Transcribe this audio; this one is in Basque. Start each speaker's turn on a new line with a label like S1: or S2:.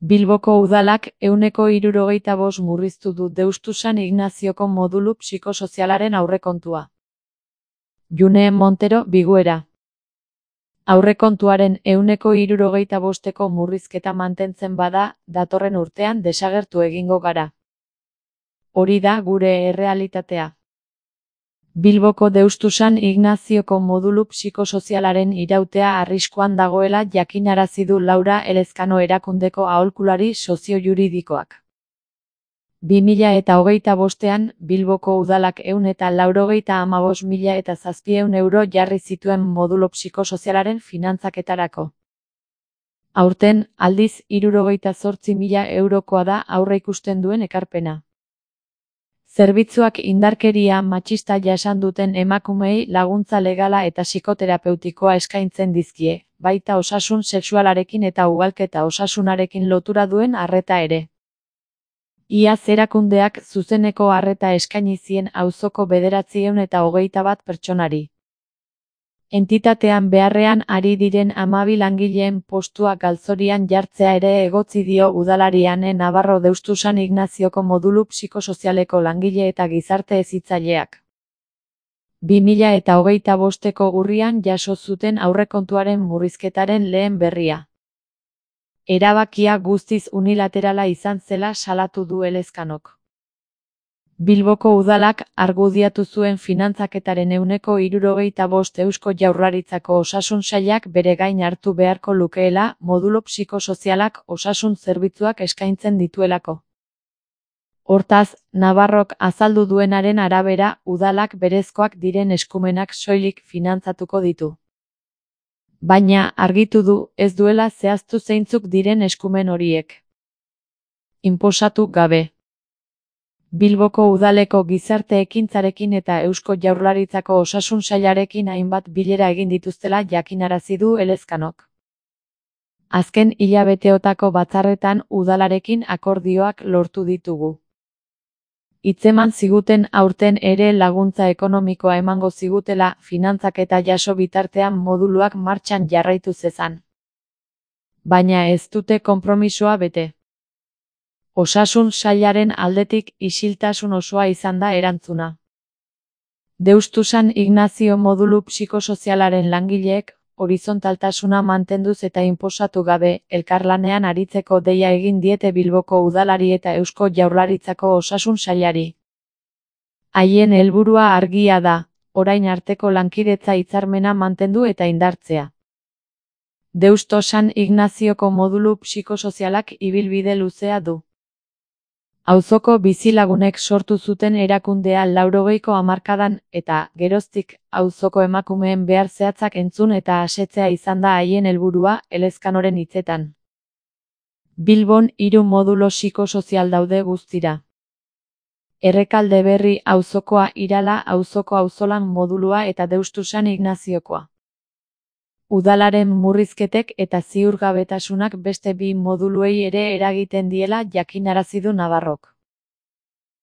S1: Bilboko udalak 175 murriztu du Deustu San Ignazioko modulu psikosozialaren aurrekontua. June Montero, Biguera. Aurrekontuaren 175ko murrizketa mantentzen bada, datorren urtean desagertu egingo gara. Hori da gure errealitatea. Bilboko Deustu San Ignazioko modulu psikosozialaren irautea arriskuan dagoela jakinarazi du Laura Elezkano erakundeko aholkulari sozio-juridikoak. 2025ean, Bilboko udalak 195.700 euro jarri zituen modulo psikosozialaren finantzaketarako. Aurten, aldiz 68.000 eurokoa da aurreikusten duen ekarpena. Zerbitzuak indarkeria matxista jasan duten emakumeei laguntza legala eta psikoterapeutikoa eskaintzen dizkie, baita osasun sexualarekin eta ugalketa osasunarekin lotura duen arreta ere. Iaz erakundeak zuzeneko arreta eskaini zien auzoko 921 pertsonari. Entitatean beharrean ari diren 12 langileen postua galtzorian jartzea ere egotzi dio udalari Ane Navarro Deustu San Ignazioko modulu psikosozialeko langile eta gizarte hezitzaileak. 2025ko urrian jaso zuten aurrekontuaren murrizketaren lehen berria. Erabakia guztiz unilaterala izan zela salatu du Elezkanok. Bilboko udalak argudiatu zuen finantzaketaren 75 Eusko Jaurlaritzako osasun sailak bere gain hartu beharko lukeela modulo psikosozialak osasun zerbitzuak eskaintzen dituelako. Hortaz, Navarrok azaldu duenaren arabera, udalak berezkoak diren eskumenak soilik finantzatuko ditu. Baina, argitu du, ez duela zehaztu zeintzuk diren eskumen horiek. Inposatu gabe. Bilboko udaleko gizarte ekintzarekin eta Eusko Jaurlaritzako osasun sailarekin hainbat bilera egin dituztela jakinarazi du Elezkanok. Azken hilabeteotako batzarretan udalarekin akordioak lortu ditugu. Hitzeman ziguten aurten ere laguntza ekonomikoa emango zigutela finantzaketa jaso bitartean moduluak martxan jarraitu zezan. Baina ez dute konpromisoa bete. Osasun sailaren aldetik isiltasun osoa izan da erantzuna. Deustu San Ignazio modulu psikosozialaren langileek, horizontaltasuna mantenduz eta inposatu gabe, elkarlanean aritzeko deia egin diete Bilboko udalari eta Eusko Jaurlaritzako osasun sailari. Haien helburua argia da, orain arteko lankidetza hitzarmena mantendu eta indartzea. Deustu San Ignazioko modulu psikosozialak ibilbide luzea du. Auzoko bizilagunek sortu zuten erakundea 80ko hamarkadan eta, geroztik, auzoko emakumeen behar zehatzak entzun eta asetzea izan da haien helburua, Elezkanoren hitzetan. Bilbon 3 modulo psikosozial daude guztira. Errekalde Berri auzokoa, Irala auzoko auzolan modulua eta Deustu San Ignaziokoa. Udalaren murrizketek eta ziurgabetasunak beste 2 moduluei ere eragiten diela jakinarazi du Navarrok.